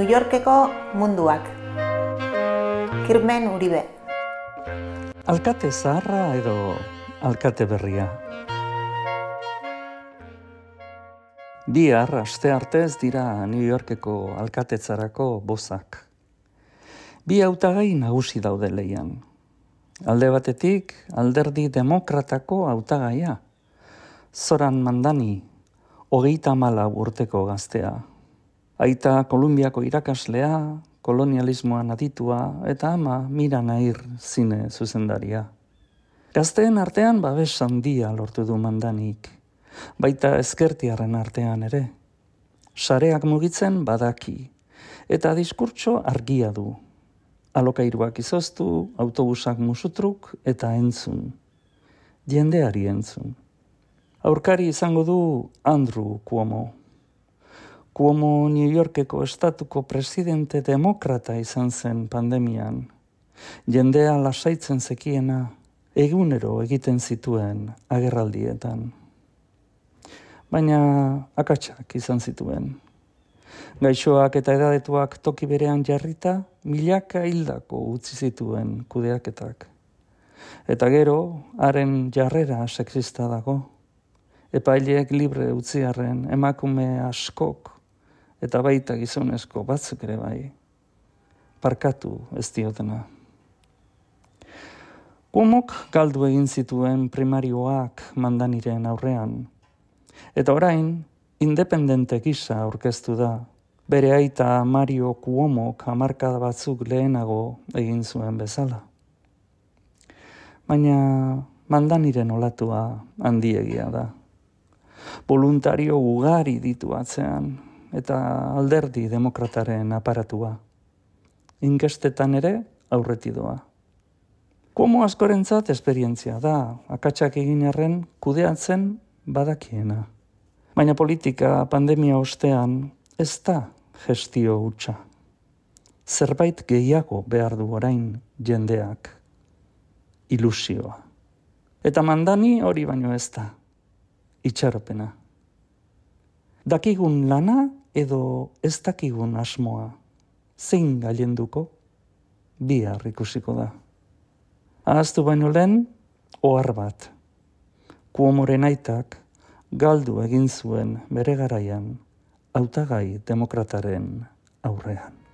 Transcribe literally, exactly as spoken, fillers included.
New Yorkeko munduak. Kirmen Uribe. Alkate zaharra edo alkate berria? Bihar aste artez dira New Yorkeko alkatetzarako bozak. Bi hautagai nagusi daude lehian. Alde batetik, alderdi demokratako hautagaia. Zoran Mandani, hogeita hamalau urteko gaztea. Aita Kolumbiako irakaslea, kolonialismoan aditua, eta ama Mira Nair zine zuzendaria. Gazteen artean babes handia lortu du Mandanik, baita ezkertiarren artean ere. Sareak mugitzen badaki, eta diskurtso argia du. Alokairuak izoztu, autobusak musutruk eta entzun. Jendeari entzun. Aurkari izango du Andrew Cuomo. Cuomo New Yorkeko estatuko presidente demokrata izan zen pandemian. Jendea lasaitzen zekiena egunero egiten zituen agerraldietan. Baina akatsak izan zituen. Gaixoak eta edadetuak toki berean jarrita, milaka hildako utzi zituen kudeaketak. Eta gero, haren jarrera sexista dago. Epaileek libre utziarren emakume askok, eta baita gizonezko batzuk ere bai, parkatu ez diotena. Cuomok galdu egin zituen primarioak Mandaniren aurrean, eta orain, independente gisa aurkeztu da, bere aita Mario Cuomok hamarkada batzuk lehenago egin zuen bezala. Baina Mandaniren olatua handiegia da. Voluntario ugari ditu atzean, eta alderdi demokrataren aparatua. Inkestetan ere aurreti doa. Cuomo askorentzat esperientzia da, akatsak egin arren kudeatzen badakiena. Baina politika pandemia ostean ez da gestio hutsa. Zerbait gehiago behar du orain jendeak. Ilusioa. Eta Mandani hori baino ez da. Itxaropena. Dakigun lana edo ez dakigun asmoa. Zein gailenduko? Bihar ikusiko da. Ahaztu baino lehen, ohar bat. Cuomoren aitak galdu egin zuen bere garaian hautagai demokrataren aurrean.